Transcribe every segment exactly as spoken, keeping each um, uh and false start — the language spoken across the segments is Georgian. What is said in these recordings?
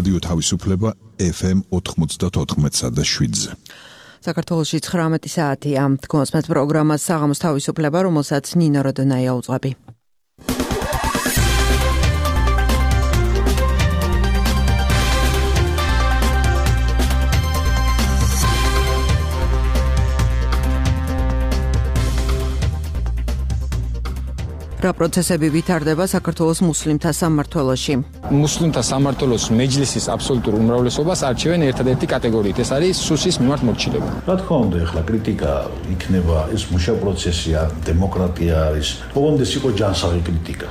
რადიო თავისუფლება ეფ ემ ოთხმოცდათოთხმეტსა და შვიდზე. საქართველოში ცხრამეტი საათია. თქვენს პროგრამას საღამოს თავისუფლება, რომელსაც ნინო როდონაია უძღვები. რა პროცესები ვითარდება საქართველოს მუსლიმთა სამმართველოში? მუსლიმთა სამმართველოს მეჯლისის აბსოლუტურ უმრავლესობას არჩევენ ერთადერთი კატეგორიით, ეს არის სუსის მიმართ მორჩილება. რა თქმა უნდა, ახლა კრიტიკა იქნება, ეს მუშა პროცესია, დემოკრატია არის. ოღონდ ეს იყო ჯანსაღი კრიტიკა.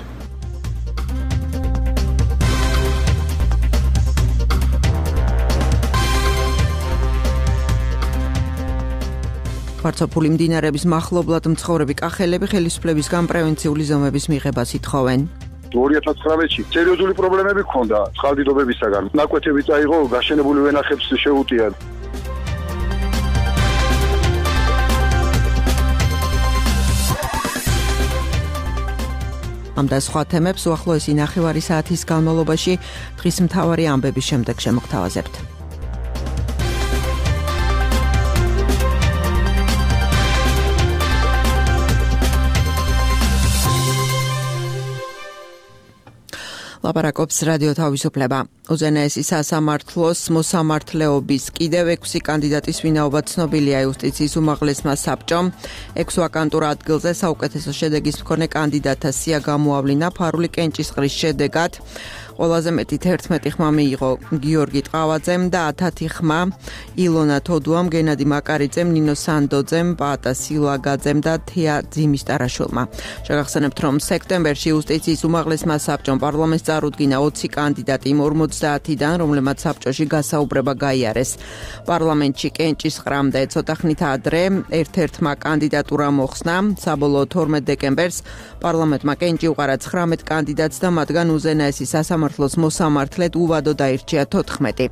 ვარცოფული მდინარეების მახლობლად მცხოვრები კახელები ხელისუფლებისგან პრევენციული ზომების მიღებას ითხოვენ. ორი ათას ცხრამეტში სერიოზული პრობლემები ჰქონდა წყალდიდობებისაგან. ნაკვეთები წაიღო, გაშენებული ვენახებს შეუტიან. ამ და სხვა თემებს უახლოესი ნახევარი საათის განმავლობაში დღის მთავარი ამბების შემდეგ შემოგთავაზებთ. ლაპარაკობს რადიო თავისუფლება. უზენაესი სასამართლოს მოსამართლეობის კიდევ ექვსი კანდიდატის ვინაობა ცნობილია იუსტიციის უმაღლესმა საბჭომ. ექვს ვაკანტურ ადგილზე საუკეთესო შედეგის მქონე კანდიდატთა სია გამოავლინა ფარული კენჭისყრის შედეგად. ყველაზე მეტი თერთმეტი ხმა მიიღო გიორგი ტყავაძემ და ათათი ხმა ილონა თოდუამ, გენადი მაკარიძემ, ნინო სანდოძემ, პაატა სილაგაძემ და თეა ძიმისტარაშვილმა. შეგახსენებთ, რომ სექტემბერში იუსტიციის უმაღლესმა საბჭომ პარლამენტს წარუდგინა ოცი კანდიდატი იმ ორმოცდაათიდან, რომლებმაც საბჭოში გასაუბრება გაიარეს. პარლამენტში კენჭისყრამდე ცოტა ხნით ადრე ერთ-ერთმა კანდიდატურა მოხსნა. საბოლოო თორმეტ დეკემბერს პარლამენტმა კენჭი უყარა ცხრამეტ კანდიდატს და მათგან უზენაესი სასამართლოს მოსამართლედ უვადო დაირჩია თოთხმეტი.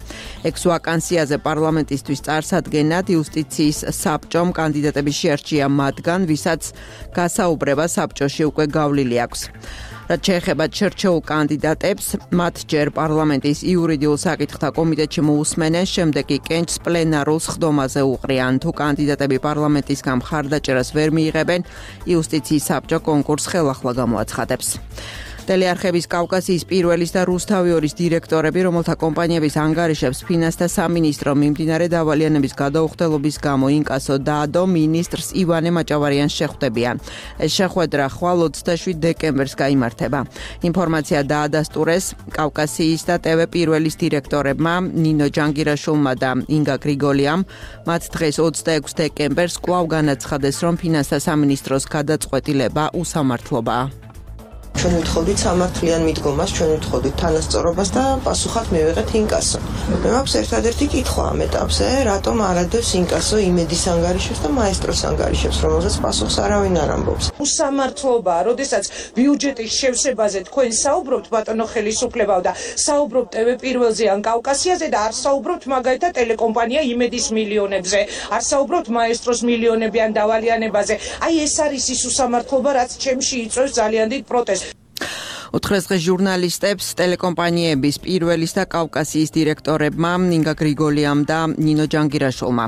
ექვს ვაკანსიაზე პარლამენტისთვის წარსადგენად იუსტიციის საბჭომ კანდიდატები შეარჩია მათგან, ვისაც გასაუბრება საბჭოში უკვე გავლილი აქვს. რაც შეეხება შერჩეულ კანდიდატებს, მათ ჯერ პარლამენტის იურიდიულ საკითხთა კომიტეტში მოусმენენ, შემდეგ კი კენჭს პლენარულ სხდომაზე უყრიან. თუ კანდიდატები პარლამენტისგან მხარდაჭერას ვერ მიიღებენ, იუსტიციის საბჭო კონკურსს ხელახლა გამოაცხადებს. ტელეარხების კავკასიის პირველის და რუსთავიორის დირექტორები, რომელთა კომპანიების ანგარიშებს ფინანსთა სამინისტრო მიმდინარე დავალიანების გადაუხდელობის გამო ინკასო დაადო, მინისტრს ივანე მაჭავარიანს შეხვდებიან. ეს შეხვედრა ხვალ ოცდაშვიდ დეკემბერს გაიმართება. ინფორმაცია დაადასტურეს კავკასიის და ტევ პირველის დირექტორებმა ნინო ჯანგირაშვილმა და ინგა გრიგოლიამ. მათ დღეს ოცდაექვსი დეკემბერს კვლავ განაცხადეს, რომ ფინანსთა სამინისტროს გადაწყვეტილება უსამართლობაა. ჩვენ ვთხოვდით სამართლიან მიდგომას, ჩვენ ვთხოვდით თანასწორობას და პასუხად მივიღეთ ინკასო. მე მაქვს ერთადერთი კითხვა ამ ეტაპზე, რატომ არ ადევს ინკასო იმედის ანგარიშებს და მაესტროს ანგარიშებს, რომელზეც პასუხს არავინ არ ამბობს. უსამართლობაა, როდესაც ბიუჯეტის შევსებაზე თქვენ საუბრობთ, ბატონო ხელისუფლებაო, და საუბრობთ ტევ პირველზე ან კავკასიაზე და არ საუბრობთ მაგალითად ტელეკომპანია იმედის მილიონებზე, არ საუბრობთ მაესტროს მილიონები ან დავალიანებაზე. აი ეს არის ის უსამართლობა, რაც ჩემში იწვევს ძალიან დიდ პროტესტს. უთხრეს დღეს ჟურნალისტებს ტელეკომპანიების პირველის და კავკასიის დირექტორებმა ინგა გრიგოლიამ და ნინო ჯანგირაშვილმა.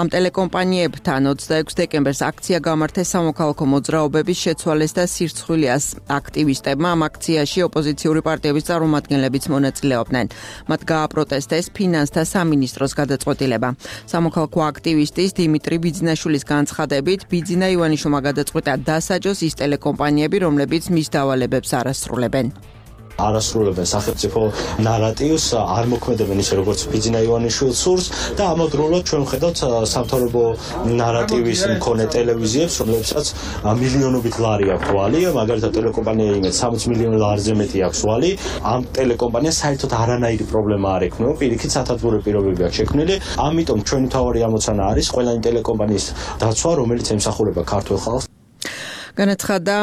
ამ ტელეკომპანიებთან ოცდაექვსი დეკემბერს აქცია გამართეს სამოქალაქო მოძრაობების შეცვალეს და სირცხვილიას აქტივისტებმა. ამ აქციაში ოპოზიციური პარტიების წარმომადგენლებიც მონაწილეობდნენ. მათ გააპროტესტეს ფინანსთა სამინისტროს გადაწყვეტილება. სამოქალაქო აქტივისტის დიმიტრი ბიძინაშვილის განცხადებით, ბიძინა ივანიშვილმა გადაწყვიტა დასაჯოს ის ტელეკომპანიები, რომლებიც მის დავალებებს არ ასრულებენ. არასრულებენ სახელმწიფო ნარატივს, არ მოქმედებენ ისე როგორც ბიძინა ივანიშვილს სურს და ამავდროულად ჩვენ ვხედავთ სამთავრობო ნარატივის მქონე ტელევიზიებს, რომლებსაც მილიონობით ლარი აქვს ვალი, მაგალითად ტელეკომპანია იმედს სამოცი მილიონი ლარზე მეტი აქვს ვალი. ამ ტელეკომპანიას საერთოდ არანაირი პრობლემა არ ექნება, პირიქით სათათბურე პირობები აქვს შექმნილი. ამიტომ ჩვენი მთავარი ამოცანა არის ყველანი ტელეკომპანიის დაცვა, რომელიც ემსახურება ქართულ ხალხს. განაცხადა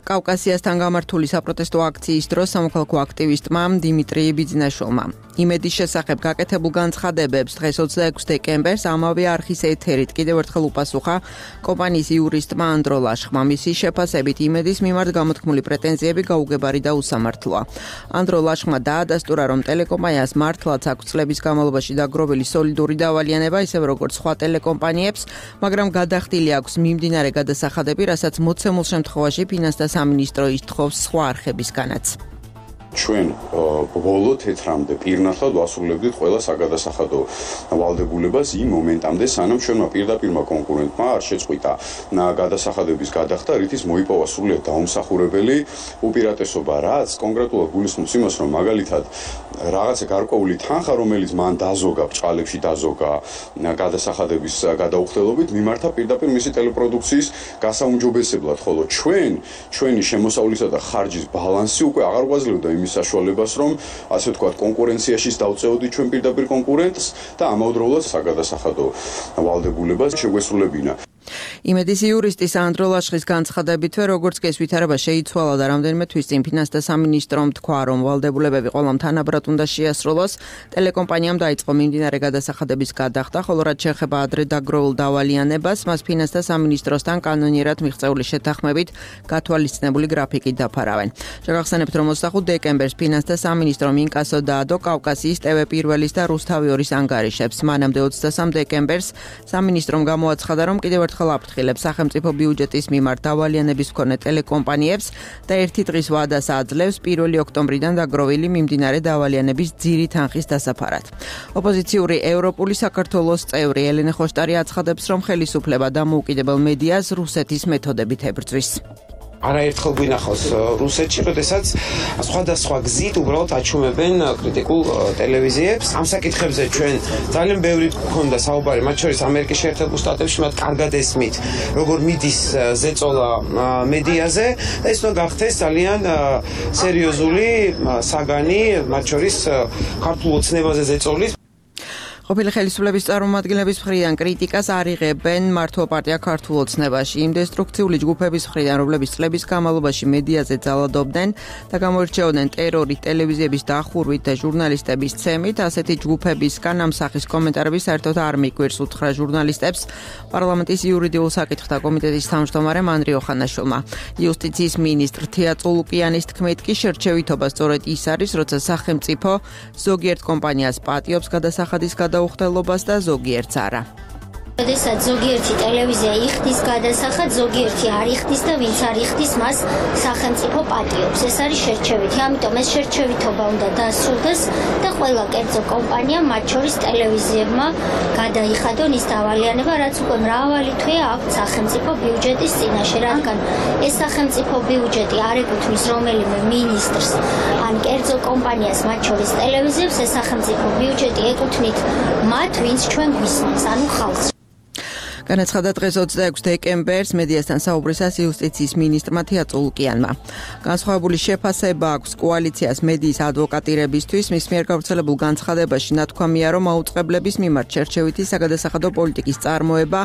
კავკასიასთან გამართული საპროტესტო აქციის დროს სამოქალაქო აქტივისტმა დიმიტრი ბიძინაშვილმა. იმედის შესახებ გაკეთებულ განცხადებებს დღეს ოცდაექვსი დეკემბერს ამავე არხის ეთერით კიდევ ერთხელ უპასუხა კომპანიის იურისტმა ანდრო ლაშხმა. მისი შეფასებით იმედის მიმართ გამოთქმული პრეტენზიები გაუგებარი და უსამართლოა. ანდრო ლაშხმა დაადასტურა, რომ ტელეკომპანიას მართლაც აქვს წლების განმავლობაში დაგროვილი სოლიდური დავალიანება, ისევე როგორც სხვა ტელეკომპანიებს, მაგრამ გადახდილი აქვს მიმდინარე გადასახადები, რასაც მოცემულ შემთხვევაში ფინანსთა სამინისტრო ითხოვს სხვა არხებისგანაც. ჩვენ ბოლო თეთრამდე პირნათლად ვასრულებდით ყველა საგადასახადო ვალდებულებას იმ მომენტამდე, სანამ ჩვენმა პირდაპირმა კონკურენტმა არ შეწყვიტა გადასახადების გადახდა, რითიც მოიპოვა სრულიად დაუმსახურებელი უპირატესობა, რაც კონკრეტულად გულისხმობს იმას, რომ მაგალითად რაღაცა გარკვეული თანხა, რომელიც მან დაზოგა, ბრჭყალებში დაზოგა გადასახადების გადაუხდელობით, მიმართა პირდაპირ მისი ტელეპროდუქციის გასაუმჯობესებლად, ხოლო ჩვენ ჩვენი შემოსავლისა და ხარჯის ბალანსი უკვე აღარ გვაძლევდა იმის საშუალებას, რომ ასე ვთქვათ, კონკურენციაში დავწეოდით ჩვენ პირდაპირ კონკურენტს და ამავდროულად საგადასახადო ვალდებულებას შეგვესრულებინა. იმედის იურისტის ანდრო ლაშხის განცხადებითვე, როგორც კი ეს ვითარება შეიცვალა და რამდენიმე თვის წინ ფინანსთა სამინისტრომ თქვა, რომ ვალდებულებები ყველამ თანაბრად უნდა შეასრულოს, ტელეკომპანიამ დაიწყო მიმდინარე გადასახადების გადახდა, ხოლო რაც შეეხება ადრე დაგროვილ დავალიანებას, მას ფინანსთა სამინისტროსთან კანონიერად მიღწეული შეთანხმებით გათვალისწინებული გრაფიკით დაფარავენ. შეგახსენებთ, რომ ოცდახუთ დეკემბერს ფინანსთა სამინისტრომ ინკასო დაადო კავკასიის ტევ პირველის და რუსთავიორის ანგარიშებს. მანამდე ოცდასამი დეკემბერს სამინისტრომ გამოაცხადა, რომ კიდევ ერთხელ აფრთხილებს სახელმწიფო ბიუჯეტის მიმართ დავალიანების მქონე ტელეკომპანიებს და ერთი დღის ვადას აძლევს პირველი ოქტომბრიდან დაგროვილი მიმდინარე დავალიანების ძირი თანხის დასაფარად. ოპოზიციური ევროპული საქართველოს წევრი ელენე ხოშტარი აცხადებს, რომ ხელისუფლება დამოუკიდებელ მედიას რუსეთის მეთოდებით ებრძვის. არაერთხელ გვინახავს რუსეთში, როდესაც სხვადასხვა გზით უბრალოდ აჩუმებენ კრიტიკულ ტელევიზიებს. ამ საკითხებზე ჩვენ ძალიან ბევრი გქონდა საუბარი, მათ შორის ამერიკის შეერთებულ შტატებში, მათ კარგად ესმით, როგორ მიდის ზეწოლა მედიაზე და ეს უნდა გახდეს ძალიან სერიოზული საგანი, მათ შორის ქართულ ოცნებაზე ზეწოლის. ყოფილი ხელისუფლების წარმომადგენლების მხრიდან კრიტიკას არ იღებენ მართლ პარტია ქართულ ოცნებაში. იმ დესტრუქციული ჯგუფების მხრიდან, რომლებიც წლების განმავლობაში მედიაზე ძალადობდნენ და გამოირჩეოდნენ ტერორით, ტელევიზიების დახურვით და ჟურნალისტების ცემით, ასეთი ჯგუფებისგან ამ სახის კომენტარები საერთოდ არ მიგვირს, უთხრა ჟურნალისტებს პარლამენტის იურიდიულ საკითხთა კომიტეტის თავმჯდომარემ ანდრე ოხანაშვილმა. იუსტიციის მინისტრ თია წულუკიანის თქმით, კი შერჩევითობა სწორედ ის არის, როცა სახელმწიფო ზოგიერთ კომპანიას პატიობს გადასახადის გადაუხდელობას და ზოგიერთს არა. როდესაც ზოგიერთი ტელევიზია იხდის გადასახადს, ზოგიერთი არ იხდის და ვინც არ იხდის, მას სახელმწიფო პატიობს. ეს არის შერჩევითი, ამიტომ ეს შერჩევითობა უნდა დასრულდეს და ყველა კერძო კომპანიამ, მათ შორის ტელევიზიებმა, გადაიხადონ ის დავალიანება, რაც უკვე მრავალი თვეა აქვთ სახელმწიფო ბიუჯეტის წინაშე, რადგან ეს სახელმწიფო ბიუჯეტი არ ეკუთვნის რომელიმე მინისტრს ან კერძო კომპანიას, მათ შორის ტელევიზიებს, ეს სახელმწიფო ბიუჯეტი ეკუთვნით მათ, ვინც ჩვენ გვისმენს, ანუ ხალხს. განაცხადა დღეს ოცდაექვსი დეკემბერს მედიასთან საუბრისას იუსტიციის მინისტრმა თია წულუკიანმა. განსხვავებული შეფასება აქვს კოალიციას მედიის ადვოკატირებისთვის. მის მიერ გავრცელებულ განცხადებაში ნათქვამია, რომ აუწყებლების მიმართ შერჩევითი საგადასახადო პოლიტიკის წარმოება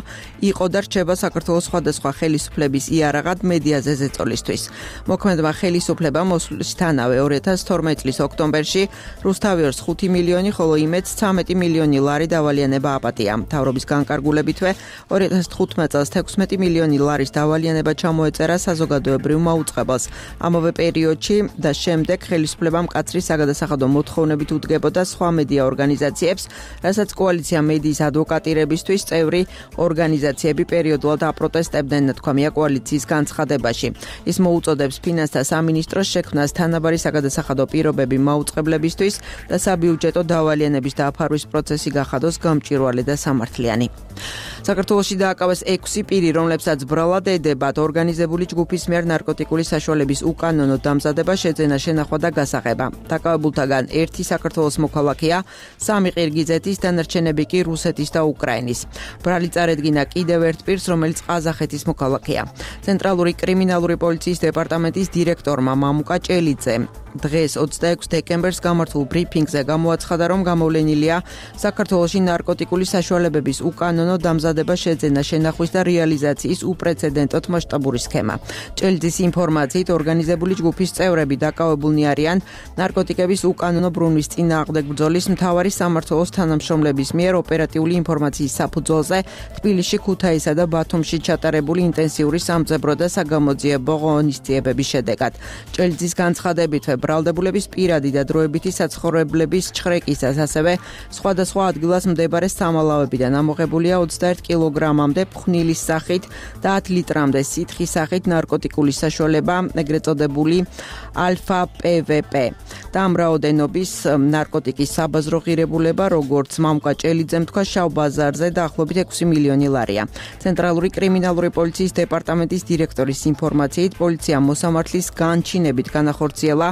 იყო და რჩება საქართველოს სხვადასხვა ხელისუფლების იარაღად მედიაზე ზეწოლისთვის. მოქმედმა ხელისუფლებამ მოსვლისთანავე ორი ათას თორმეტი წლის ოქტომბერში რუსთავიორს ხუთი მილიონი, ხოლო იმედს ცამეტი მილიონი ლარი დავალიანება აპატია. მთავრობის განკარგულებითვე ორი ათას თხუთმეტი წელს ექვსმეტი მილიონი ლარის დავალიანება ჩამოეწერა საზოგადოებრივ მაუწყებელს. ამავე პერიოდში და შემდეგ ხელისუფლებამ მკაცრი საგადასახადო მოთხოვნებით უდგებოდა სხვა მედია ორგანიზაციებს, რასაც კოალიცია მედიის ადვოკატირებისთვის წევრი ორგანიზაციები პერიოდულად აპროტესტებდნენ, ნათქვამია კოალიციის განცხადებაში. ის მოუწოდებს ფინანსთა სამინისტროს შექმნას თანაბარი საგადასახადო პირობები მაუწყებლებისთვის და საბიუჯეტო დავალიანების დაფარვის პროცესი გახადოს გამჭვირვალე და სამართლიანი. საქართველოში დააკავეს ექვსი პირი, რომლებსაც ბრალად ედებათ ორგანიზებული ჯგუფის მიერ ნარკოტიკული საშუალების უკანონო დამზადება, შეძენა, შენახვა და გასაღება. დაკავებულთაგან ერთი საქართველოს მოქალაქეა, სამი ყირგიზეთის, დანარჩენები კი რუსეთის და უკრაინის. ბრალი წარედგინა კიდევ ერთ პირს, რომელიც ყაზახეთის მოქალაქეა. ცენტრალური კრიმინალური პოლიციის დეპარტამენტის დირექტორმა მამუკა ჭელიძე დღეს ოცდაექვსი დეკემბერს გამართულ ბრიფინგზე გამოაცხადა, რომ გამოვლენილია საქართველოში ნარკოტიკული საშუალებების უკანონო დამზადება, შეძენა, შენახვის და რეალიზაციის უპრეცედენტოდ მასშტაბური სქემა. ჭელიძის ინფორმაციით, ორგანიზებული ჯგუფის წევრები დაკავებულნი არიან ნარკოტიკების უკანონო ბრუნვის წინააღმდეგ ბრძოლის მთავარი სამმართველოს თანამშრომლების მიერ ოპერატიული ინფორმაციის საფუძველზე თბილისში, ქუთაისსა და ბათუმში ჩატარებული ინტენსიური სამძებრო და საგამოძიებო ღონისძიებების შედეგად. ჭელიძის განცხადებითვე ბრალდებულების პირადი და დროებითი საცხოვრებლების ჩხრეკისას, ასევე სხვადასხვა ადგილას მდებარე სამალავებიდან ამოღებულია ოცდაერთი კილოგრამამდე ფხვნილის სახით და ათი ლიტრამდე სითხის სახით ნარკოტიკული საშუალება, ეგრეთ წოდებული ალფა პე ვე პე. და ამ რაოდენობის ნარკოტიკის საბაზრო ღირებულება, როგორც მამუკა ჭელიძემ თქვა, შავ ბაზარზე დაახლოებით ექვსი მილიონი ლარია. ცენტრალური კრიმინალური პოლიციის დეპარტამენტის დირექტორის ინფორმაციით, პოლიციამ მოსამართლის განჩინებით განახორციელა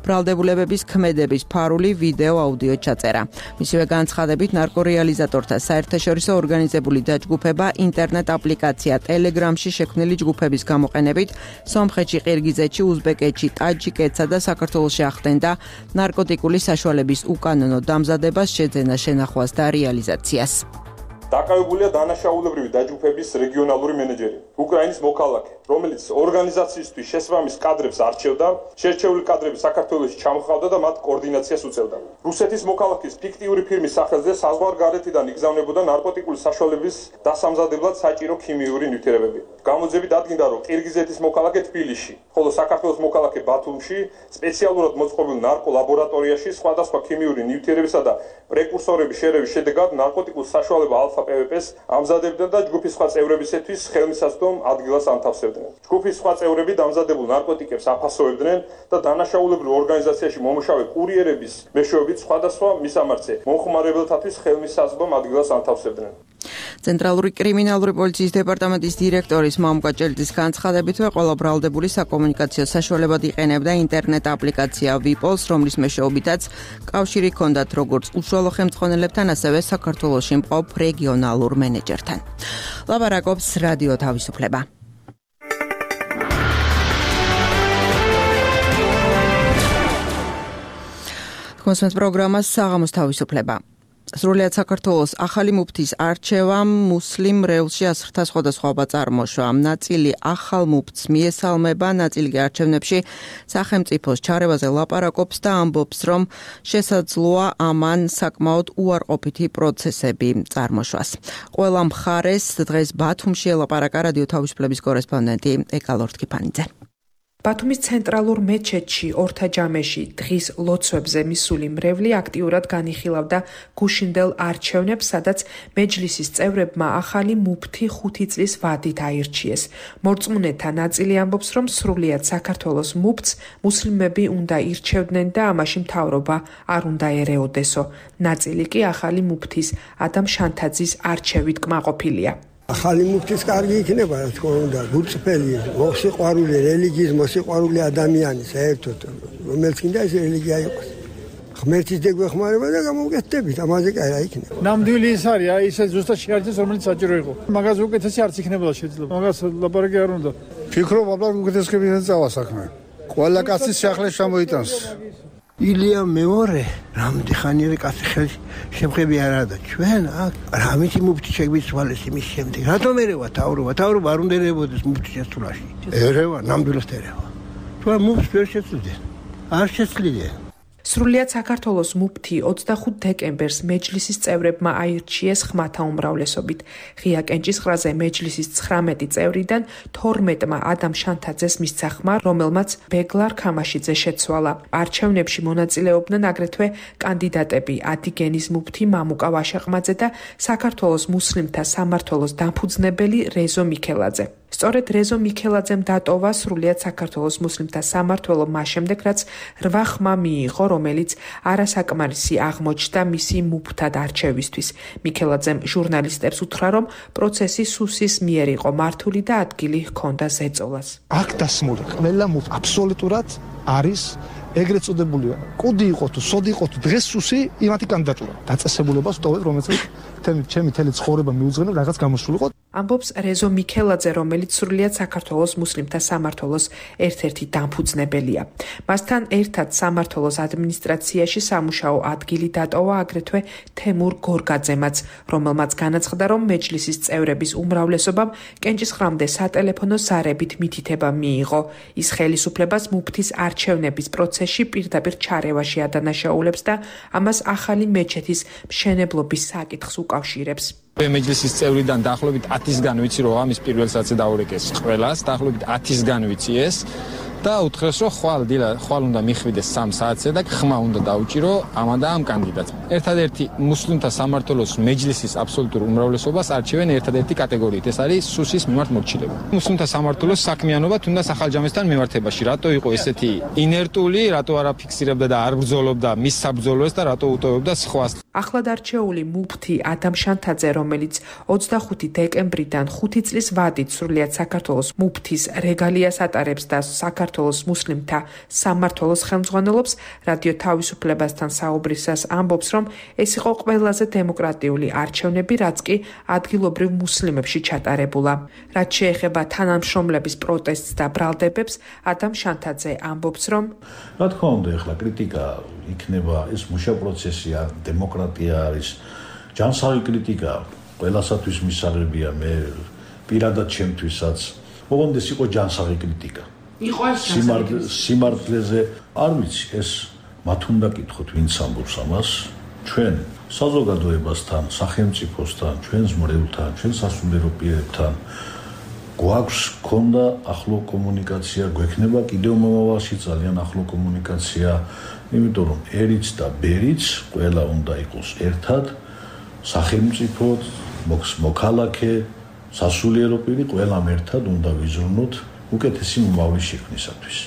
ბრალდებულებების ქმედების ფარული ვიდეო აუდიო ჩაწერა. მისივე განცხადებით, ნარკორეალიზატორთა საერთაშორისო ორგანიზებული დაჯგუფება ინტერნეტ აპლიკაცია ტელეგრამში შექმნილი ჯგუფების გამოყენებით სომხეთში, ყირგიზეთში, უზბეკეთში, ტაჯიკეთსა და საქართველოში ახდენდა ნარკოტიკული საშუალების უკანონო დამზადებას, შეძენას, შენახვას და რეალიზაციას. დაკავებულია დანაშაულებრივი დაჯგუფების რეგიონალური მენეჯერი, უკრაინის მოქალაქე, რომელიც ორგანიზაციისთვის შესაბამის კადრებს არჩევდა, შერჩეული კადრები საქართველოში ჩამოჰყავდა და მათ კოორდინაციას უწევდა. რუსეთის მოქალაქის ფიქტიური ფირმის სახელზე საზღვარგარეთიდან იგზავნებოდა ნარკოტიკული საშუალების დასამზადებლად საჭირო ქიმიური ნივთიერებები. გამოძიებით დადგინდა, რომ ყირგიზეთის მოქალაქე თბილისში, ხოლო საქართველოს მოქალაქე ბათუმში სპეციალურად მოწყობილ ნარკოლაბორატორიაში სხვადასხვა ქიმიური ნივთიერებისა და პრეკურსორების შერევის შედეგად ნარკოტიკულ საშუალება ალფა პე ვე პეს ამზადებდნენ და ჯგუფის სხვა წევრებისათვის ხელმისაწვდომ ადგილას ანთავსებდნენ. ჯგუფის სხვა წევრები დამზადებულ ნარკოტიკებს აფასოვებდნენ და დანაშაულებრივ ორგანიზაციაში მომუშავე კურიერების მეშვეობით სხვადასხვა მისამართზე მომხმარებელთათვის ხელმისაწვდომ ადგილას ანთავსებდნენ. ცენტრალური კრიმინალური პოლიციის დეპარტამენტის დირექტორის მამუკა ჭელიძის განცხადებითვე, ყველა ბრალდებული საკომუნიკაციო საშუალებად იყენებდა ინტერნეტ აპლიკაცია ვიპოლს, რომლის მეშვეობითაც კავშირი ჰქონდათ როგორც უშუალო ხელმძღვანელებთან, ასევე საქართველოში მყოფ რეგიონალურ მენეჯერთან. ლაპარაკობს რადიო თავისუფლება. კონსმენს პროგრამას საღამოს თავისუფლება. სრულიად საქართველოს ახალი მუფთის არჩევამ მუსლიმ რევლში ასრთა სხვადასხვაობა წარმოშვა. ნაწილი ახალ მუფთს მიესალმება, ნაწილი კი არჩევნებში სახელმწიფოს ჩარევაზე ლაპარაკობს და ამბობს, რომ შესაძლოა ამან საკმაოდ უარყოფითი პროცესები წარმოშვას. ყველა მხარეს დღეს ბათუმში ელაპარაკა რადიო თავისუფლების კორესპონდენტი ეკალორთ კიფანიძე. ბათუმის ცენტრალურ მეჩეთში ორთაჯამეში დღის ლოცვებზე მისული მრევლი აქტიურად განიხილავდა გუშინდელ არჩევნებს, სადაც მეჯლისის წევრებმა ახალი მუფთი ხუთი წლის ვადით აირჩიეს. მორწმუნეთა ნაწილი ამბობს, რომ სრულიად საქართველოს მუფთს მუსლიმები უნდა ირჩევდნენ და ამაში მთავრობა არ უნდა ერეოდესო. ნაწილი კი ახალი მუფთის ადამ შანთაძის არჩევით კმაყოფილია. ახალი მუფთის კარგი იქნება, რა თქმა უნდა, გულწრფელი, მოსიყვარული რელიგიის, მოსიყვარული ადამიანი საერთოდ, რომელიც კიდე ეს რელიგია იყოს. ღმერთის დეგვეხმარება და გამოვკეთდებით, ამაზე კი რა იქნება. ნამდვილი ის არის, აი ესე ზუსტად შეარჩეს, რომელიც საჭირო იყო. მაგას უკეთესი არც იქნებოდა შეიძლება. მაგას ლაპარაკი არ უნდა. ფიქრობ, აბა უკეთესკებიდან წავა საქმე. ყველა კაცის სახლს შემოიტანს. ილია მეორე, რამდენი ხანია კაცი ხელში შემხები არ არა და ჩვენ აქ რამითი მუფთი შეგვიცვალეს იმის შემდეგ. რატომ ერევა თავრობა? თავრობა არ უნდა ერეებოდეს მუფთის შესრულაში. ერევა, ნამდვილად ერევა. თქვენ მუფთს ვერ შეცვლიდენ. არ შეცვლიდენ. სრულიად საქართველოს მუფთი ოცდახუთ დეკემბერს მეჯლისის წევრებმა აირჩიეს ხმათა უმრავლესობით. ღია კენჭისყრაზე მეჯლისის ცხრამეტი წევრიდან თორმეტმა ადამ შანთაძეს მისცა ხმა, რომელმაც ბეგლარ ქამაშიძე შეცვალა. არჩევნებში მონაწილეობდნენ აგრეთვე კანდიდატები ადიგენის მუფთი მამუკა ვაშაყმაძე და საქართველოს მუსლიმთა სამმართველოს დამფუძნებელი რეზო მიქელაძე. სწორედ რეზო მიქელაძემ დატოვა სრულიად საქართველოს მუსლიმთა სამმართველო მას შემდეგ, რაც რვა ხმა მიიღო, რომელიც არასაკმარისი აღმოჩნდა მისი მუფთად არჩევისთვის. მიქელაძემ ჟურნალისტებს უთხრა, რომ პროცესი სუსის მიერ იყო მართული და ადგილი ჰქონდა ზეწოლას. აქ დასმული ყველა მუფთი აბსოლუტურად არის ეგრეთ წოდებული კუდი იყო თუ სოდი იყო თუ დღეს სუსი იმათი კანდიდატურა. დაწესებულებას ვტოვებ, რომელიც ჩემი ჩემი თელი ცხოვრება მიუძღვნებ რაღაც გამოსულიყო. ამბობს რეზო მიქელაძე, რომელიც სრულიად საქართველოს მუსლიმთა სამმართველოს ერთ-ერთი დამფუძნებელია. მასთან ერთად სამმართველოს ადმინისტრაციაში სამუშაო ადგილი დატოვა აგრეთვე თემურ გორგაძემაც, რომელმაც განაცხადა, რომ მეჯლისის წევრების უმრავლესობამ კენჭისყრამდე სატელეფონო ზარებით მითითება მიიღო. ის ხელისუფლებას მუფთის არჩევნების პროცესში პირდაპირ ჩარევაში ადანაშაულებს და ამას ახალი მეჩეთის მშენებლობის საკითხს უკავშირებს. მეჯლისის წევრიდან დაახლოებით ათისგან ვიცი, რომ ამის პირველ საცე დაურეკეს ყველას, დაახლოებით ათისგან ვიცი ეს და უთხრეს, რომ ხვალ დილა ხვალ უნდა მიხვიდეს სამ საათზე და ხმა უნდა დაუჭირო ამა და ამ კანდიდატს. ერთადერთი მუსლიმთა სამმართველოს მეჯლისის აბსოლუტურ უმრავლესობას არჩევენ ერთადერთი კატეგორიით, ეს არის სუსის მიმართ მორჩილება. მუსლიმთა სამმართველოს საქმიანობა თუნდაც ახალჯამესთან მიმართებაში, რატო იყო ესეთი ინერტული, რატო არ აფიქსირებდა და არ ბრძოლობდა მის საბრძოლოებს და რატო უტოვებდა სხვას. ახლად არჩეული მუფთი ადამ შანთაძე, რომელიც ოცდახუთი დეკემბრიდან ხუთი წლის ვადით სრულიად საქართველოს მუფთის რეგალიას ატარებს და საქართველოს მუსლიმთა სამმართველოს ხელმძღვანელობს, რადიო თავისუფლებასთან საუბრისას ამბობს, რომ ეს იყო ყველაზე დემოკრატიული არჩევნები, რაც კი ადგილობრივ მუსლიმებში ჩატარებულა. რაც შეეხება თანამშრომლების პროტესტს და ბრალდებებს, ადამ შანთაძე ამბობს, რომ რა თქმა უნდა, ეხლა კრიტიკა იქნება, ეს მუშა პროცესია, დემოკრატია არის, ჯანსაღი კრიტიკა ყველასათვის მისაღებია, მე პირადად ჩემთვისაც. ოღონდ ეს იყო ჯანსაღი კრიტიკა. სიმართლეზე არ ვიცი, ეს მათ უნდა კითხოთ, ვინც ამბობს ამას, ჩვენ საზოგადოებასთან, სახელმწიფოსთან, ჩვენს მრევლთან, ჩვენ სასულიერო პირებთან გვაქვს ქონდა ახლო კომუნიკაცია, გვექნება კიდევ მომავალში ძალიან ახლო კომუნიკაცია, იმიტომ რომ ერიც და ბერიც ყველა უნდა იყოს ერთად, სახელმწიფო, მოქალაქე, სასულიერო პირი ყველამ ერთად უნდა ვიზრუნოთ უკეთესი მომავლის შექმნისათვის.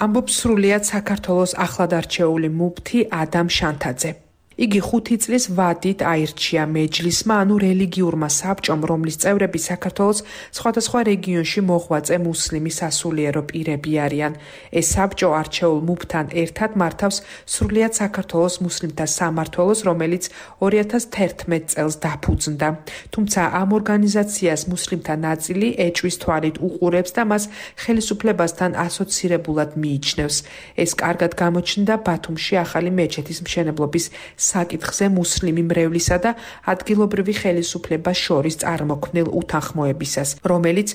ამბობს სრულიად საქართველოს ახლად არჩეული მუფთი ადამ შანთაძე. იგი ხუთი წლის ვადით აირჩია მეჯლისმა, ანუ რელიგიურმა საბჭომ, რომლის წევრები საქართველოს სხვადასხვა რეგიონში მოღვაწე მუსლიმი სასულიერო პირები არიან. ეს საბჭო არჩეულ მუფთან ერთად მართავს სრულიად საქართველოს მუსლიმთა სამმართველოს, რომელიც ორი ათას თერთმეტ წელს დაფუძნდა. თუმცა ამ ორგანიზაციას მუსლიმთა ნაწილი ეჭვის თვალით უყურებს და მას ხელისუფლებასთან ასოცირებულად მიიჩნევს. ეს კარგად გამოჩნდა ბათუმში ახალი მეჩეთის მშენებლობის საკითხზე მუსლიმი მრევლისა და ადგილობრივი ხელისუფლებას შორის წარმოქმნილ უთანხმოებისას, რომელიც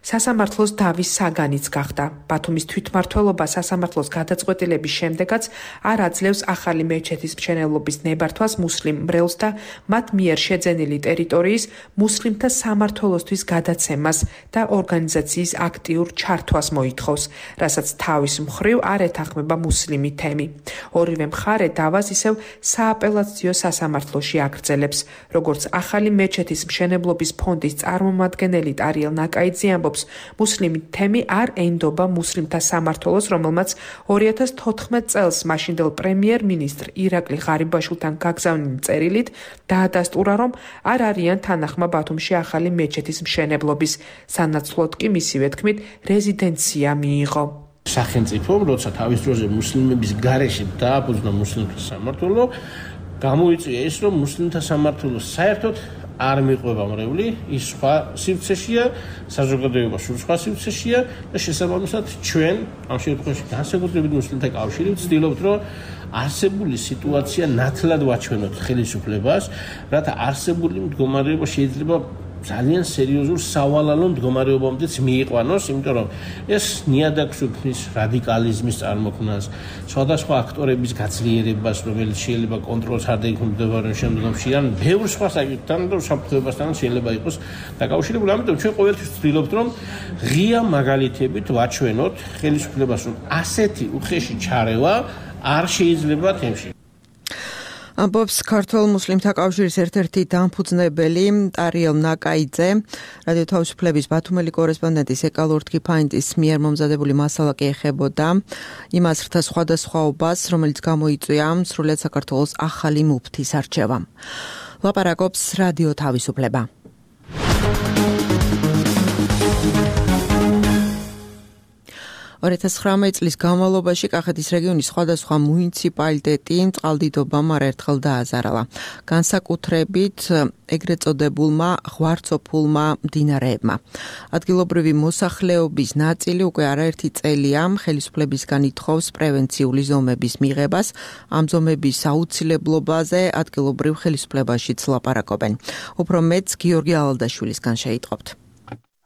სასამართლოს დავის საგანიც გახდა. ბათუმის თვითმმართველობა სასამართლოს გადაწყვეტილების შემდეგაც არ აძლევს ახალი მეჩეთის მშენებლობის ნებართვას მუსლიმ მრევლს და მათ მიერ შეძენილი ტერიტორიის მუსლიმთა სამმართველოსთვის გადაცემას და ორგანიზაციის აქტიურ ჩართვას მოითხოვს, რასაც თავის მხრივ არ ეთანხმება მუსლიმი თემი. ორივე მხარე დავას ისევ სააპელაციო სასამართლოში აგრძელებს. როგორც ახალი მეჩეთის მშენებლობის ფონდის წარმომადგენელი ტარიელ ნაკაიძე ამბობს, მუსლიმი თემი არ ენდობა მუსლიმთა სამმართველოს, რომელმაც ორი ათას თოთხმეტ წელს მაშინდელ პრემიერ-მინისტრ ირაკლი ღარიბაშვილთან გაგზავნილი წერილით დაადასტურა, რომ არ არიან თანახმა ბათუმში ახალი მეჩეთის მშენებლობის, სანაცვლოდ კი მისივე თქმით რეზიდენცია მიიღო. სახელმწიფომ, როცა თავის დროზე მუსლიმების გარეშე დააფუძნა მუსლიმთა სამმართველო, გამოიწვია ის, რომ მუსლიმთა სამმართველოს საერთოდ არ მიყვება მრევლი, ის სხვა სივრცეშია, საზოგადოება სულ სხვა სივრცეშია და შესაბამისად ჩვენ ამ შემთხვევაში განსაკუთრებით მუსლიმთა კავშირი ვცდილობთ, რომ არსებული სიტუაცია ნათლად ვაჩვენოთ ხელისუფლებას, რათა არსებული მდგომარეობა შეიძლება ძალიან სერიოზულ სავალალო მდგომარეობამდეც მიიყვანოს, იმიტომ რომ ეს ნიადაგს უქმნის რადიკალიზმის წარმოქმნას, სხვადასხვა აქტორების გაძლიერებას, რომელიც შეიძლება კონტროლს არ დაიქმნებოდნენ შემდგომში, ან ბევრ სხვა საკითხთან და საფრთხეებასთან შეიძლება იყოს დაკავშირებული. ამიტომ ჩვენ ყოველთვის ვცდილობთ, რომ ღია მაგალითებით ვაჩვენოთ ხელისუფლებას, რომ ასეთი უხეში ჩარევა არ შეიძლება თემში. ამბობს ქართულ მუსლიმთა კავშირის ერთ-ერთი დამფუძნებელი ტარიელ ნაკაიძე. რადიო თავისუფლების ბათუმელი კორესპონდენტის ეკალურ თქიფაინტის მიერ მომზადებული მასალა კი ეხებოდა იმას რთა სხვადასხვაობას, რომელიც გამოიწვია სრულიად საქართველოს ახალი მუფთის არჩევამ. ლაპარაკობს რადიო თავისუფლება. ორი ათას ცხრამეტ წლის განმავლობაში კახეთის რეგიონის სხვადასხვა მუნიციპალიტეტი წყალდიდობამ არაერთხელ დააზარალა. განსაკუთრებით ეგრეთ წოდებულმა ღვარცოფულმა მდინარეებმა. ადგილობრივი მოსახლეობის ნაწილი უკვე არაერთი წელია ხელისუფლებისგან ითხოვს პრევენციული ზომების მიღებას. ამ ზომების აუცილებლობაზე ადგილობრივ ხელისუფლებაშიც ლაპარაკობენ. უფრო მეტს გიორგი ალალდაშვილისგან შეიტყობთ.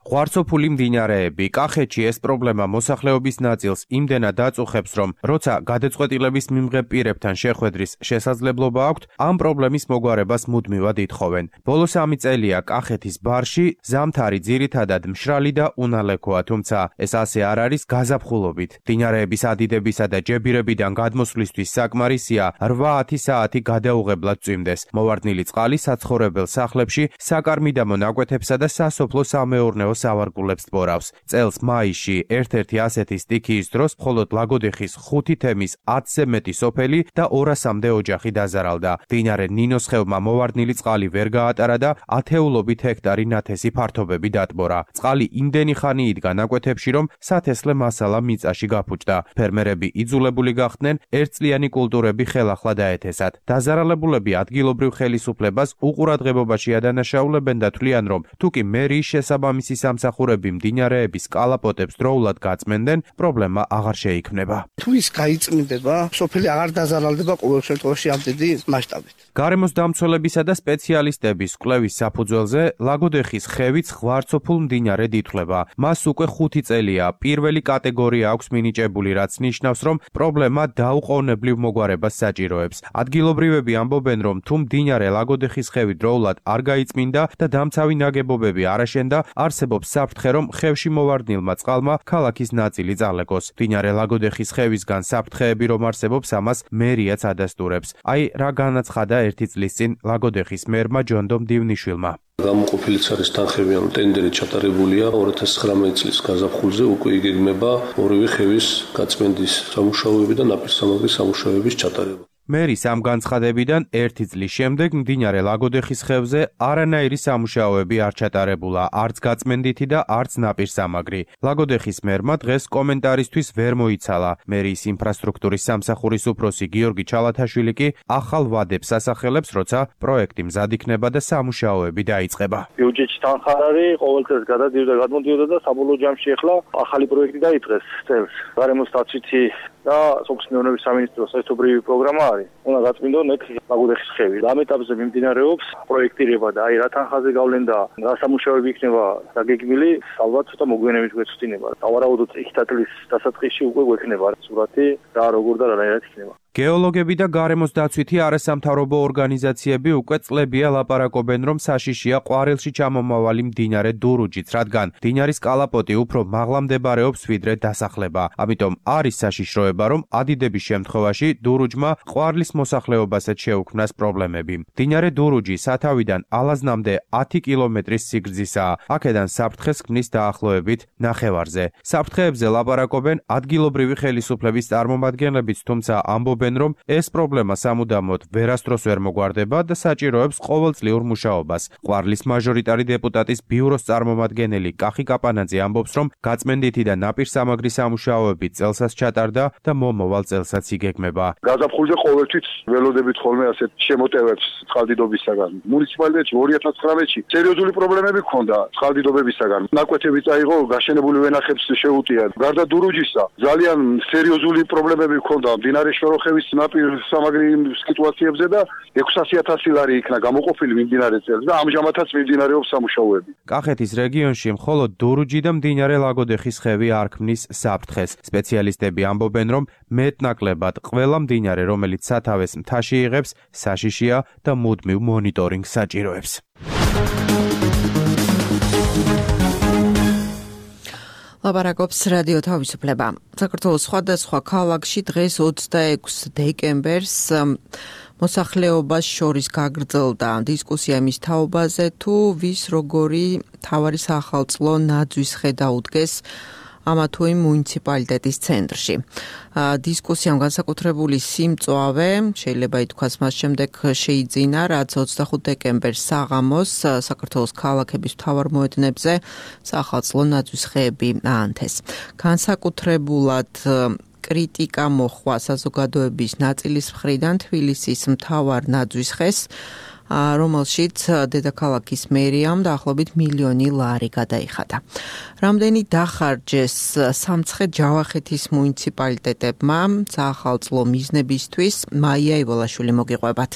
ღვარცოფული მდინარეები კახეთში ეს პრობლემა მოსახლეობის ნაწილს იმდენად აწუხებს, რომ როცა გადაწყვეტილების მიმღებ პირებთან შეხვედრის შესაძლებლობა აქვთ, ამ პრობლემის მოგვარებას მუდმივად ითხოვენ. ბოლოს სამი წელია კახეთის ბარში ზამთარი ძირითადად მშრალი და უნალექოა, თუმცა ეს ასე არ არის გაზაფხულობით. მდინარეების ადიდებისა და ჯებირებიდან გადმოსვლისთვის საკმარისია რვა-ათი საათი გადაუღებლად წვიმდეს. მოვარდნილი წყალი საცხოვრებელ სახლებში, საკარმიდამო ნაკვეთებსა და სასოფლო-სამეურნეო სავარგულებს ტბორავს. წელს მაისში ერთ-ერთი ასეთი სტიქიის დროს მხოლოდ ლაგოდეხის ხუთი თემის ათზე მეტი სოფელი და ორასამდე ოჯახი დაზარალდა. მდინარე ნინოს ხევმა მოვარდნილი წყალი ვერ გაატარა და ათეულობით ჰექტარი ნათესი ფართობები დატბორა. წყალი იმდენი ხანი იდგა ნაკვეთებში, რომ სათესლე მასალა მიწაში გაფუჭდა. ფერმერები იძულებული გახდნენ ერთწლიანი კულტურები ხელახლა დაეთესათ. დაზარალებულები ადგილობრივ ხელისუფლებას უყურადღებობაში ადანაშაულებენ და თვლიან, რომ თუკი მერიის შესაბამისი სამსახურები მდინარეების კალაპოტებს დროულად გაწმენდნენ, პრობლემა აღარ შეიქმნება. თუ ის გაიწმინდება, სოფელი აღარ დაზარალდება ყოველ შემთხვევაში ამ დიდი მასშტაბით. გარემოს დამცველებისა და სპეციალისტების კვლევის საფუძველზე ლაგოდეხის ხევიც ღვარცოფულ მდინარედ ითვლება. მას უკვე ხუთი წელია პირველი კატეგორია აქვს მინიჭებული, რაც ნიშნავს, რომ პრობლემა დაუყოვნებლივ მოგვარებას საჭიროებს. ადგილობრივები ამბობენ, რომ თუ მდინარე ლაგოდეხის ხევი დროულად არ გაიწმინდა და დამცავი ნაგებობები არ აშენდა, არსებობს საფრთხე, რომ ხევში მოვარდნილმა წყალმა ქალაქის ნაწილი წალეკოს. მდინარე ლაგოდეხის ხევისგან საფრთხეები რომ არსებობს, ამას მერიაც ადასტურებს. აი რა განაცხადა ერთი წლის წინ ლაგოდეხის მერმა ჯონდომ დივნიშვილმა. გამოყოფილიც არის თანხებიან ტენდერი ჩატარებულია ორი ათას ცხრამეტ წლის გაზაფხულზე, უკვე იგეგმება ორივე ხევის გაწმენდის სამუშაოები და ნაპირსამაგრის სამუშაოების ჩატარება. მერის ამ განცხადებიდან ერთი წლის შემდეგ მდინარე ლაგოდეხის ხევზე არანაირი სამუშაოები არ ჩატარებულა, არც გაწმენდითი და არც ნაპირსამაგრი. ლაგოდეხის მერმა დღეს კომენტარისთვის ვერ მოიცალა. მერის ინფრასტრუქტურის სამსახურის უფროსი გიორგი ჩალათაშვილი კი ახალ ვადებს ასახელებს, როცა პროექტი მზად იქნება და სამუშაოები დაიწყება. ბიუჯეტში თანხა არის, ყოველწელს გადადიოდა, გადმოდიოდა და საბოლოო ჯამში ახლა ახალი პროექტი დაიწყეს წელს. გარემოს დაცვითი და სოფლის მეურნეობის სამინისტროს ერთობლივი პროგრამა არის. უნდა გაწმინდონ ეგ ლაგოდეხის ხევი. ამ ეტაპზე მიმდინარეობს პროექტირება და აი რა თანხაზე გავლენ და რა სამუშაოები იქნება დაგეგმილი, ალბათ ცოტა მოგვიანებით გვეცვლინება. დავარაუდოთ ეხთა წლის დასაწყისში უკვე გვექნება სურათი რა როგორ და რანაირად იქნება. გეოლოგები და გარემოს დაცვითი არასამთავრობო ორგანიზაციები უკვე წლებია ლაპარაკობენ, რომ საშიშია ყვარელში ჩამომავალი მდინარე დურუჯიც, რადგან მდინარის კალაპოტი უფრო მაღლა მდებარეობს ვიდრე დასახლება. ამიტომ არის საშიშროება, რომ ადიდების შემთხვევაში დურუჯმა ყვარლის მოსახლეობასაც შეუქმნას პრობლემები. მდინარე დურუჯი სათავიდან ალაზნამდე ათი კილომეტრის სიგრძისაა. აქედან საფრთხეს ქმნის დაახლოებით ნახევარზე. საფრთხეებზე ლაპარაკობენ ადგილობრივი ხელისუფლების წარმომადგენლებიც, თუმცა ამბობენ, რომ ეს პრობლემა სამუდამოდ ვერასდროს ვერ მოგვარდება და საჭიროებს ყოველწლიურ მუშაობას. ყვარლის მაჟორიტარი დეპუტატის ბიუროს წარმომადგენელი კახი კაპანაძე ამბობს, რომ გაწმენდითი და ნაპირსამაგრის სამუშაოები წელსაც ჩატარდა და მომავალ წელსაც იგეგმება. გაზაფხულზე ყოველთვის ველოდებით ხოლმე ასეთ შემოტევებს წყალდიდობისაგან. მუნიციპალიტეტში ორი ათას ცხრამეტში სერიოზული პრობლემები ჰქონდა წყალდიდობებისაგან. ნაკვეთები წაიღო, გაშენებული ვენახებს შეუტია. გარდა დურუჯისა ძალიან სერიოზული პრობლემები ჰქონდა მდინარე შოროხევის ნაპირსამაგრი სიტუაციებზე და ექვსასი ათასი ლარი იქნა გამოყოფილი მიმდინარე წელს და ამჟამადაც მიმდინარეობს სამუშაოები. კახეთის რეგიონში მხოლოდ დურუჯი და მდინარე ლაგოდეხის ხევი არ ქმნის საფრთხეს. სპეციალისტები ამბობენ, რომ მეტნაკლებად ყველა მდინარე, რომელიც სათავეს მთაში იღებს, საშიშია და მუდმივ მონიტორინგს საჭიროებს. ლაპარაკობს რადიო თავისუფლება. საქართველოს სხვადასხვა ქალაქში დღეს ოცდაექვსი დეკემბერს მოსახლეობას შორის გაგრძელდა დისკუსია მის თაობაზე, თუ ვის როგორი მთავარი საახალწლო ნაძვის ხე დაუდგეს ამა თუ იმ მუნიციპალიტეტის ცენტრში. დისკუსიამ განსაკუთრებული სიმწვავე შეიძლება ითქვას მას შემდეგ შეიძინა, რაც ოცდახუთ დეკემბერს საღამოს საქართველოს ქალაქების მთავარ მოედნებზე საახალწლო ნაძვის ხეები აანთეს. განსაკუთრებულად კრიტიკა მოხვა საზოგადოების ნაწილის მხრიდან თბილისის მთავარ ნაძვის ხეს, რომელშიც დედაქალაქის მერიამ დაახლოებით მილიონი ლარი გადაიხადა. რამდენი დახარჯეს სამცხე-ჯავახეთის მუნიციპალიტეტებმა საახალწლო მიზნებისთვის, მაია ივოლაშვილი მოგიყვებათ.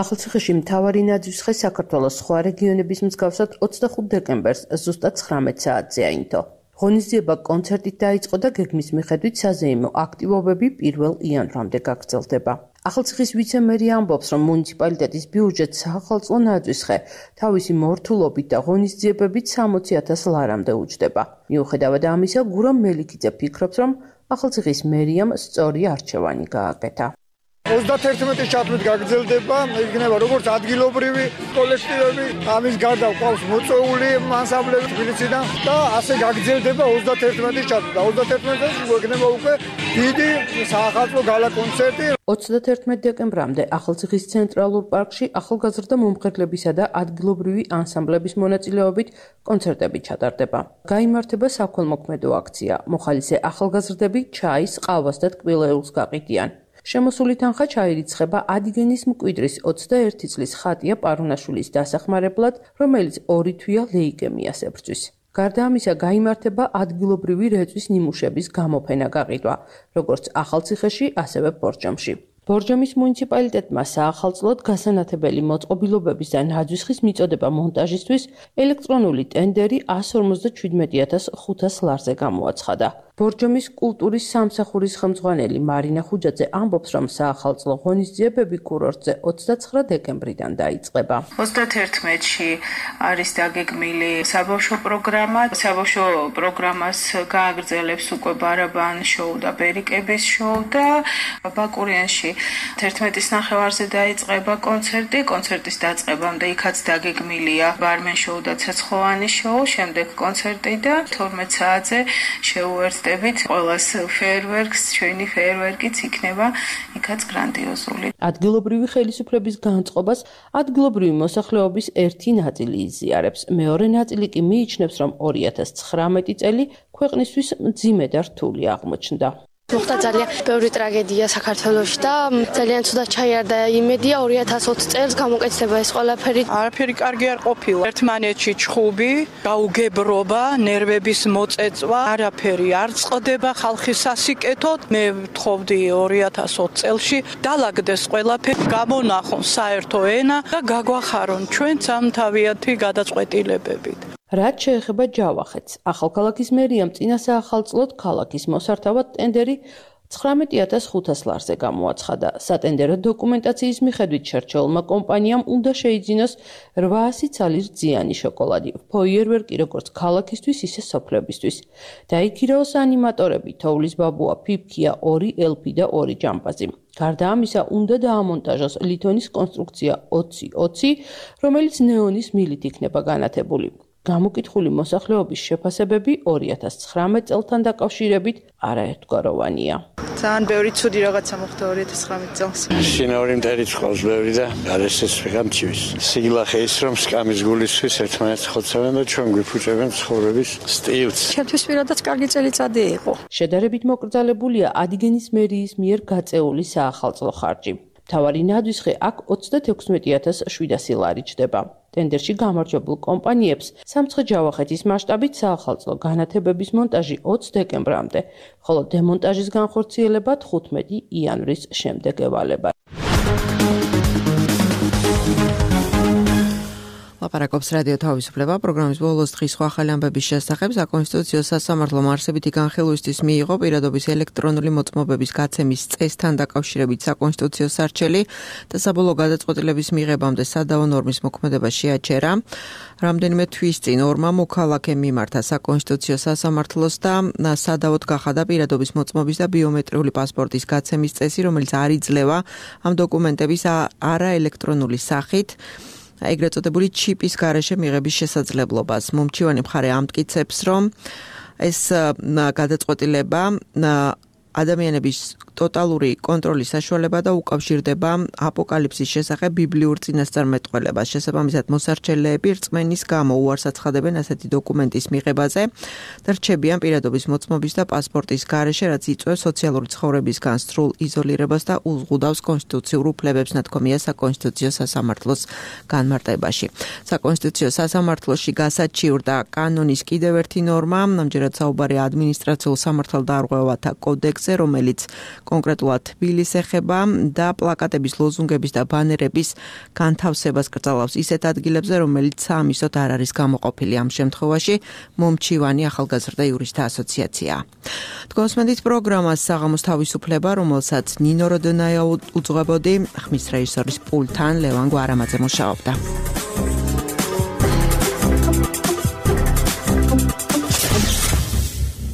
ახალციხეში მთავარი ნაძვის ხე საქართველოს სხვა რეგიონების მსგავსად ოცდახუთ დეკემბერს ზუსტად ცხრამეტ საათზე აინთო. ღონისძიება კონცერტით დაიწყო და გეგმის მიხედვით საზეიმო აქტივობები პირველ იანვრამდე გაგრძელდება. ახალციხის ვიცე-მერი ამბობს, რომ მუნიციპალიტეტის ბიუჯეტს საახალწლო ნაძვის ხე თავისი მორთულობით და ღონისძიებებით სამოცი ათას ლარამდე უჯდება. მიუხედავად ამისა, გურამ მელიქიძე ფიქრობს, რომ ახალციხის მერიამ სწორი არჩევანი გააკეთა. ოცდაათერთმეტი ჩათვლით გაგრძელდება, იქნება როგორც ადგილობრივი კოლექტივები, ამის გარდა ყავს მოწვეული ანსამბლები თბილისიდან და ასე გაგრძელდება ოცდაათერთმეტი ჩათვლით. ოცდაათერთმეტში გვექნება უკვე დიდი საახალწლო გალა კონცერტი. ოცდაათერთმეტ დეკემბრამდე ახალციხის ცენტრალურ პარკში ახალგაზრდა მომღერლებისა და ადგილობრივი ანსამბლების მონაწილეობით კონცერტები ჩატარდება. გაიმართება საქველმოქმედო აქცია. მოხალისე ახალგაზრდები ჩაის, ყავას და ტკბილეულს გაყიდიან. შემოსული თანხა ჩაირიცხება ადიგენის მკვიდრის ოცდაერთი წლის ხატია პარუნაშვილის დასახმარებლად, რომელიც ორი თვეა ლეიკემიას ებრძვის. გარდა ამისა, გაიმართება ადგილობრივი რეწვის ნიმუშების გამოფენა გაყიდვა, როგორც ახალციხეში, ასევე ბორჯომში. ბორჯომის მუნიციპალიტეტმა საახალწლოდ გასანათებელი მოწყობილობების და ნაძვის ხის მიწოდება მონტაჟისთვის ელექტრონული ტენდერი ასი ორმოცდაჩვიდმეტი ათას ხუთას ლარზე გამოაცხადა. ბორჯომის კულტურის სამსახურის ხელმძღვანელი მარინა ხუჯაძე ამბობს, რომ საახალწლო ღონისძიებები კურორტზე ოცდაცხრა დეკემბრიდან დაიწყება. ოცდაათერთმეტში არის დაგეგმილი საბავშვო პროგრამა. საბავშვო პროგრამას გააგრძელებს უკვე ბარაბან შოუ და ბერიკების შოუ და ბაკურიანში თერთმეტის ნახევარზე დაიწყება კონცერტი. კონცერტის დაწყებამდე იქაც დაგეგმილია ბარმენ შოუ და ცეცხლოვანი შოუ, შემდეგ კონცერტი და თორმეტ საათზე შეუერთდება ყველას ფეერვერკს, ჩვენი ფეერვერკიც იქნება იქაც გრანდიოზული. ადგილობრივი ხელისუფლების განწყობას ადგილობრივი მოსახლეობის ერთი ნაწილი იზიარებს. მეორე ნაწილი კი მიიჩნევს, რომ ორი ათას ცხრამეტი წელი ქვეყნისთვის მძიმე და რთული აღმოჩნდა. მოხდა ძალიან ბევრი ტრაგედია საქართველოში და ძალიან ცუდად ჩაიარდა იმედია ორი ათას ოცი წელს გამოკეთდება ეს ყველაფერი. არაფერი კარგი არ ყოფილა. ერთმანეთში ჩხუბი, გაუგებრობა, ნერვების მოწეწვა, არაფერი არ წყდება ხალხის სასიკეთოდ. მე ვთხოვდი ორი ათას ოცი წელში დალაგდეს ყველაფერი, გამონახონ საერთო ენა და გაგვახარონ ჩვენ სამთავიანთი გადაწყვეტილებებით. რაც შეეხება ჯავახეთს, ახალქალაქის მერიამ წინა საახალწლოდ ქალაქის მოსართავად ტენდერი ცხრამეტი ათას ხუთას ლარზე გამოაცხადა. სატენდერო დოკუმენტაციის მიხედვით შერჩეულმა კომპანიამ უნდა შეიძინოს რვაასი ცალის რძიანი შოკოლადი, ფოიერვერკი როგორც ქალაქისთვის, ისე სოფლებისთვის. დაიქირაოს ანიმატორები, თოვლის ბაბუა, ფიფქია, ორი ელფი და ორი ჯამპაზი. გარდა ამისა, უნდა დაამონტაჟოს ლითონის კონსტრუქცია ოცი ოცი, რომელიც ნეონის მილით იქნება განათებული. გამოკითხული მოსახლეობის შეფასებები ორი ათას ცხრამეტ წელთან დაკავშირებით არაერთგვაროვანია. ძალიან ბევრი ცუდი რაღაცა მოხდა ორი ათას ცხრამეტ წელს. შინაური მტერი წყავს ბევრი და გარესეს ვიღამჩივის. სიგლახე ის რომ სკამის გულისთვის ერთმანეთს ხოცავენ და ჩვენ გვიფუჭებენ ცხოვრების სტილს. ჩემთვის პირადად კარგი წელიწადი იყო. შედარებით მოკრძალებულია ადიგენის მერიის მიერ გაწეული საახალწლო ხარჯი. მთავარი ნაძვის ხე აქ ოცდათექვსმეტი ათას შვიდასი ლარი ჯდება. ტენდერში გამარჯვებულ კომპანიებს სამცხე-ჯავახეთის მასშტაბით საახალწლო განათებების მონტაჟი ოცი დეკემბრამდე, ხოლო დემონტაჟის განხორციელება თხუთმეტი იანვრის შემდეგ ევალება. ლაპარაკობს რადიო თავისუფლება პროგრამის ბოლოს დღის სხვა ახალი ამბების შესახებ. საკონსტიტუციო სასამართლომ არსებითი განხილვისთვის მიიღო პირადობის ელექტრონული მოწმობების გაცემის წესთან დაკავშირებით საკონსტიტუციო სარჩელი და საბოლოო გადაწყვეტილების მიღებამდე სადავო ნორმის მოქმედება შეაჩერა. რამდენიმე თვის წინ ორმა მოქალაქემ მიმართა საკონსტიტუციო სასამართლოს და სადავოდ გახადა პირადობის მოწმობის და ბიომეტრიული პასპორტის გაცემის წესი, რომელიც არ იძლევა ამ დოკუმენტების არაელექტრონული სახით ეგრეთ წოდებული ჩიპის გარეშე მიღების შესაძლებლობას. მომჩივანი მხარე ამტკიცებს, რომ ეს გადაწყვეტილება ადამიანების ტოტალური კონტროლის საშუალება და უკავშირდება აპოკალიფსის შესახებ ბიბლიურ წინასწარმეტყველებას. შესაბამისად, მოსარჩელეები რწმენის გამო უარს აცხადებენ ასეთი დოკუმენტის მიღებაზე და რჩებიან პირადობის მოწმობის და პასპორტის გარეშე, რაც იწვევს სოციალური ცხოვრებისგან სრულ იზოლირებას და უზღუდავს კონსტიტუციურ უფლებებს, ნათქვამია საკონსტიტუციო სასამართლოს განმარტებაში. საკონსტიტუციო სასამართლოში გასაჩივრდა კანონის კიდევ ერთი ნორმა, ამჯერად საუბარია ადმინისტრაციულ სამართალდარღვევათა კოდექსზე, რომელიც კონკრეტულად თბილისს ეხება და პლაკატების, ლოზუნგების და ბანერების განთავსებას კრძალავს ისეთ ადგილებზე, რომელიც საამისოდ არ არის გამოყოფილი. ამ შემთხვევაში მომჩივანი ახალგაზრდა იურისტთა ასოციაციაა. თქვენსმენდით პროგრამას საღამოს თავისუფლება, რომელსაც ნინო როდონაია უძღვებოდი, ხმის რეჟისორის პულტთან ლევან გვარამაძე მუშაობდა.